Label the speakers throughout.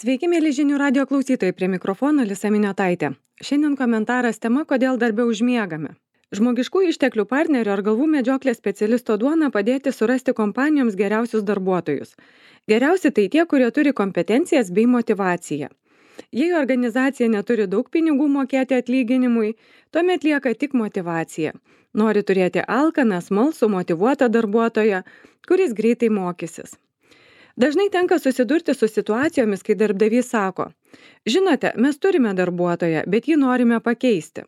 Speaker 1: Sveiki, mėly žinių radio klausytojai, prie mikrofono Lisa Miniotaitė. Šiandien komentaras tema, kodėl darbe užmiegame. Žmogiškų išteklių partnerio ar galvų medžioklės specialisto duona padėti surasti kompanijoms geriausius darbuotojus. Geriausi tai tie, kurie turi kompetencijas bei motivaciją. Jei organizacija neturi daug pinigų mokėti atlyginimui, tuomet lieka tik motivacija. Nori turėti alkaną, smalsų, motyvuotą darbuotoją, kuris greitai mokysis. Dažnai tenka susidurti su situacijomis, kai darbdavys sako: žinote, mes turime darbuotoją, bet jį norime pakeisti.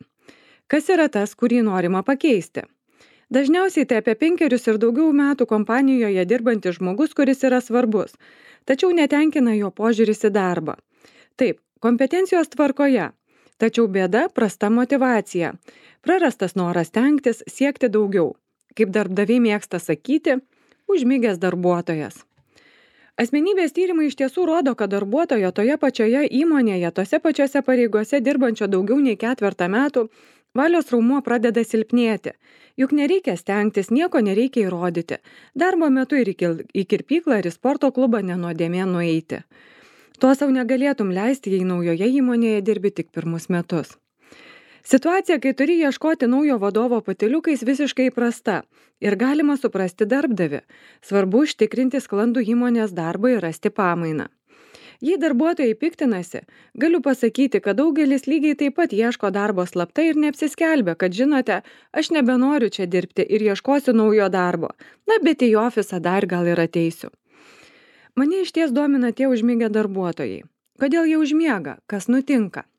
Speaker 1: Kas yra tas, kurį norima pakeisti? Dažniausiai tai apie 5 ir daugiau metų kompanijoje dirbantis žmogus, kuris yra svarbus, tačiau netenkina jo požiūris į darbą. Taip, kompetencijos tvarkoje, tačiau bėda prasta motyvacija, prarastas noras stengtis, siekti daugiau. Kaip darbdaviai mėgsta sakyti, užmigęs darbuotojas. Asmenybės tyrimai iš tiesų rodo, kad darbuotojo toje pačioje įmonėje, tose pačiose pareigose dirbančio daugiau nei 4 metų, valios raumuo pradeda silpnėti. Juk nereikia stengtis, nieko nereikia įrodyti. Darbo metu ir į kirpyklą ir į sporto klubą nenuodėmė nueiti. To sau negalėtum leisti, jei naujoje įmonėje dirbi tik 1 metus. Situacija, kai turi ieškoti naujo vadovo patyliukais, visiškai įprasta ir galima suprasti darbdavį. Svarbu užtikrinti sklandų įmonės darbą ir rasti pamainą. Jei darbuotojai piktinasi, galiu pasakyti, kad daugelis lygiai taip pat ieško darbo slaptai ir neapsiskelbia, kad žinote, aš nebenoriu čia dirbti ir ieškosiu naujo darbo. Na, bet į ofisą dar gal ir ateisiu. Mane išties domina tie užmigę darbuotojai. Kodėl jie užmiega? Kas nutinka?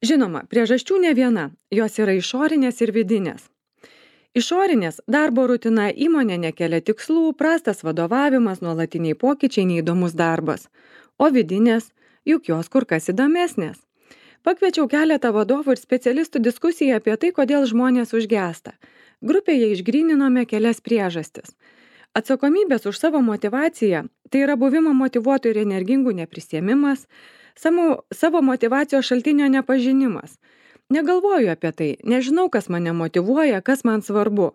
Speaker 1: Žinoma, priežasčių ne viena, jos yra išorinės ir vidinės. Išorinės – darbo rutina, įmonė nekelia tikslų, prastas vadovavimas, nuolatiniai pokyčiai, neįdomus darbas. O vidinės – juk jos kur kas įdomesnės. Pakviečiau keletą vadovų ir specialistų diskusiją apie tai, kodėl žmonės užgęsta. Grupėje išgryninome kelias priežastis. Atsakomybės už savo motyvaciją – tai yra buvimo motyvuotų ir energingų neprisiėmimas, savo motyvacijos šaltinio nepažinimas. Negalvoju apie tai, nežinau, kas mane motyvuoja, kas man svarbu,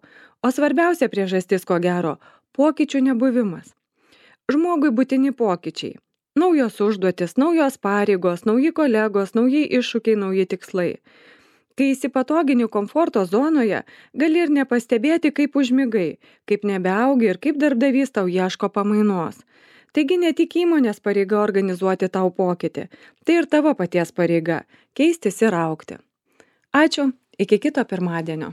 Speaker 1: o svarbiausia priežastis, ko gero, pokyčių nebuvimas. Žmogui būtini pokyčiai. Naujos užduotis, naujos pareigos, nauji kolegos, nauji iššūkiai, nauji tikslai. Kai įsipatogini komforto zonoje, gali ir nepastebėti, kaip užmigai, kaip nebeaugi ir kaip darbdavys tau ieško pamainos. Taigi ne tik įmonės pareiga organizuoti tau pokytį, tai ir tavo paties pareiga – keistis ir augti. Ačiū, iki kito pirmadienio.